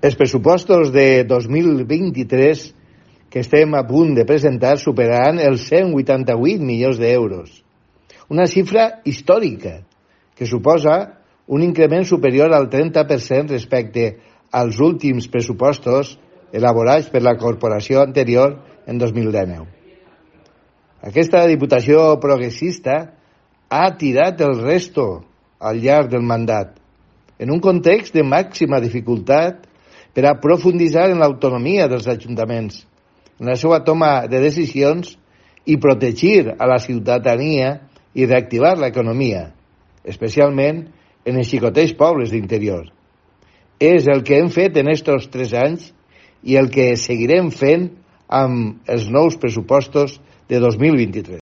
Els pressupostos de 2023 que estem a punt de presentar superaran els 188 milions d'euros, una xifra històrica que suposa un increment superior al 30% respecte als últims pressupostos elaborats per la corporació anterior en 2019. Aquesta Diputació progressista ha tirat el resto al llarg del mandat, en un context de màxima dificultat per a profunditzar en l'autonomia dels ajuntaments, en la seva toma de decisions i protegir a la ciutadania i reactivar l'economia, especialment en els xicotets pobles d'interior. És el que hem fet en estos 3 anys i el que seguirem fent amb els nous pressupostos de 2023.